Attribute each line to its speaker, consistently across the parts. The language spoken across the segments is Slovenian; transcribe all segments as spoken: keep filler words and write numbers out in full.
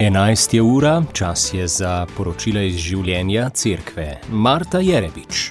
Speaker 1: enajst je ura, čas je za poročila iz življenja cerkve. Marta Jerebič.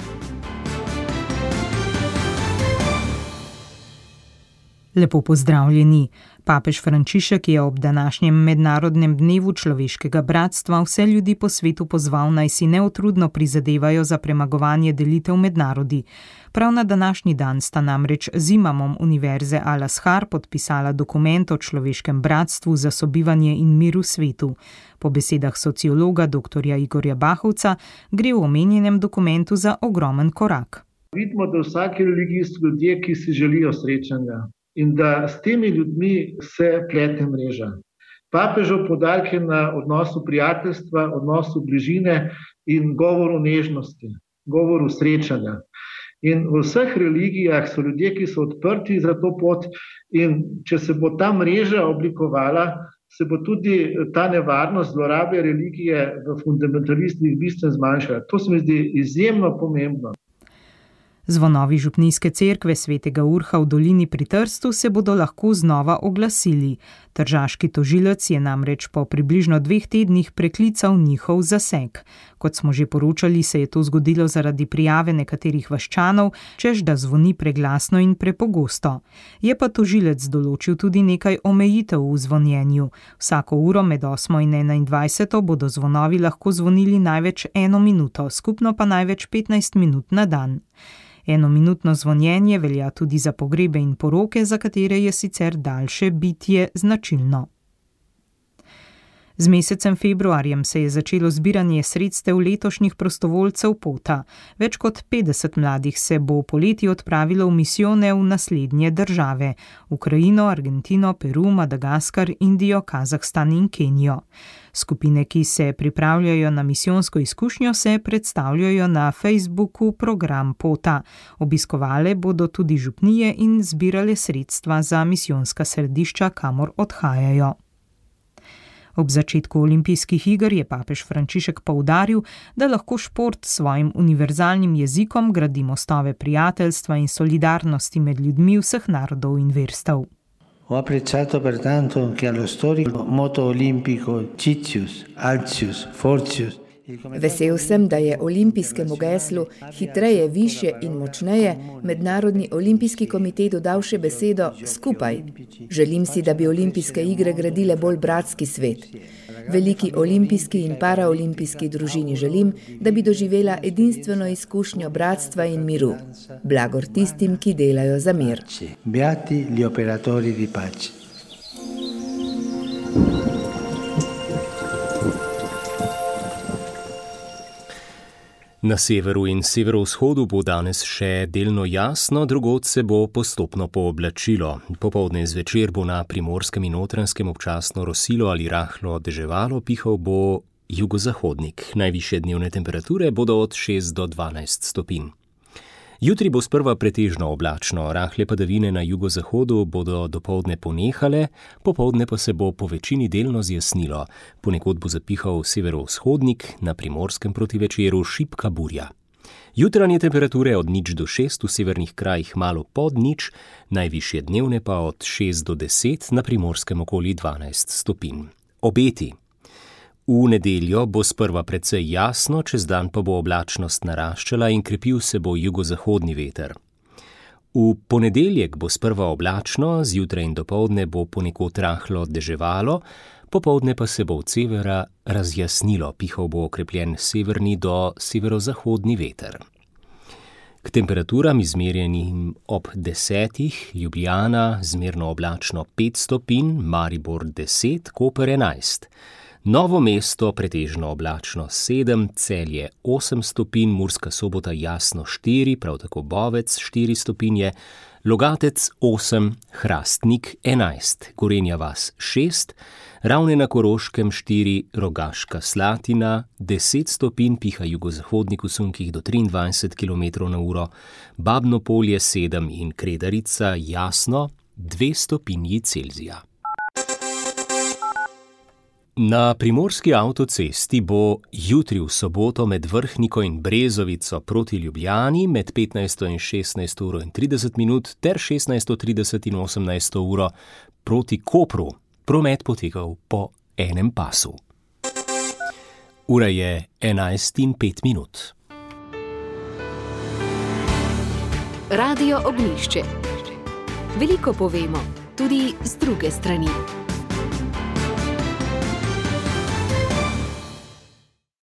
Speaker 2: Lepo pozdravljeni. Papež Frančišek je ob današnjem mednarodnem dnevu človeškega bratstva vse ljudi po svetu pozval, naj si neutrudno prizadevajo za premagovanje delitev med narodi. Prav na današnji dan sta namreč z imamom Univerze Al-Azhar podpisala dokument o človeškem bratstvu za sobivanje in mir v svetu. Po besedah sociologa dr. Igorja Bahovca gre v omenjenem dokumentu za ogromen korak.
Speaker 3: Vidimo, da v vsaki religiji so ljudje, ki si želijo srečanja. In da s temi ljudmi se plete mreža. Papežev poudarek je na odnosu prijateljstva, odnosu bližine in govoru nežnosti, govoru srečanja. In v vseh religijah so ljudje, ki so odprti za to pot, in če se bo ta mreža oblikovala, se bo tudi ta nevarnost zlorabe religije v fundamentalistih bistveno zmanjšala. To se mi zdi izjemno pomembno.
Speaker 2: Zvonovi župnijske cerkve svetega Urha v dolini pri Trstu se bodo lahko znova oglasili. Tržaški tožilec je namreč po približno dveh tednih preklical njihov zaseg. Kot smo že poročali, se je to zgodilo zaradi prijave nekaterih vaščanov, češ da zvoni preglasno in prepogosto. Je pa tožilec določil tudi nekaj omejitev v zvonjenju. Vsako uro med osmo in enaindvajseto bodo zvonovi lahko zvonili največ eno minuto, skupno pa največ petnajst minut na dan. Enominutno zvonjenje velja tudi za pogrebe in poroke, za katere je sicer daljše bitje značilno. Z mesecem februarjem se je začelo zbiranje sredstev letošnjih prostovoljcev Pota. Več kot petdeset mladih se bo poleti odpravilo v misijone v naslednje države: Ukrajino, Argentino, Peru, Madagaskar, Indijo, Kazahstan in Kenijo. Skupine, ki se pripravljajo na misijonsko izkušnjo, se predstavljajo na Facebooku Program Pota. Obiskovale bodo tudi župnije in zbirale sredstva za misijonska središča, kamor odhajajo. Ob začetku olimpijskih iger je papež Frančišek poudaril, da lahko šport s svojim univerzalnim jezikom gradi mostove prijateljstva in solidarnosti med ljudmi vseh narodov in verstev.
Speaker 4: Ho apprezzato pertanto che allo storico moto olimpico Citius, Altius, Fortius.
Speaker 5: Vesel sem, da je olimpijskemu geslu hitreje, više in močneje Mednarodni olimpijski komitej dodal še besedo skupaj. Želim si, da bi olimpijske igre gradile bolj bratski svet. Veliki olimpijski in paraolimpijski družini želim, da bi doživela edinstveno izkušnjo bratstva in miru. Blagor tistim, ki delajo za mir.
Speaker 4: Beati gli operatori di pace.
Speaker 1: Na severu in severovzhodu bo danes še delno jasno, drugod se bo postopno pooblačilo. Popoldne zvečer bo na Primorskem in Notranjskem občasno rosilo ali rahlo deževalo, pihal bo jugozahodnik. Najvišje dnevne temperature bodo od šest do dvanajst stopinj. Jutri bo sprva pretežno oblačno, rahle padavine na jugozahodu bodo dopoldne ponehale, popoldne pa se bo po večini delno zjasnilo. Ponekod bo zapihal severovzhodnik, na Primorskem proti večeru šibka burja. Jutranje temperature od nič do šest, v severnih krajih malo pod nič, najvišje dnevne pa od šest do deset, na Primorskem okoli dvanajst stopinj. Obeti. V nedeljo bo sprva precej jasno, čez dan pa bo oblačnost naraščala in krepil se bo jugozahodni veter. V ponedeljek bo sprva oblačno, zjutraj in dopoldne bo ponekod rahlo deževalo, popoldne pa se bo od severa razjasnilo, pihal bo okrepljen severni do severozahodni veter. K temperaturam izmerjenim ob desetih, Ljubljana zmerno oblačno pet stopinj, Maribor deset, Koper enajst. Novo mesto pretežno oblačno sedem, Celje osem stopinj, Murska Sobota jasno štiri, prav tako Bovec štiri stopinje, Logatec osem, Hrastnik enajst, Gorenja vas šest, Ravne na Koroškem štiri, Rogaška Slatina deset stopinj, piha jugozahodnik v sunkih do triindvajset kilometrov na uro, Babno Polje sedem in Kredarica jasno dve stopinji Celzija. Na primorski avtocesti bo jutri v soboto med Vrhniko in Brezovico proti Ljubljani med petnajsto in šestnajsto uro in trideset minut ter šestnajsto trideset in osemnajsto uro proti Kopru promet potekal po enem pasu. Ura je enajst in pet minut.
Speaker 6: Radio Ognjišče. Veliko povemo, tudi z druge strani.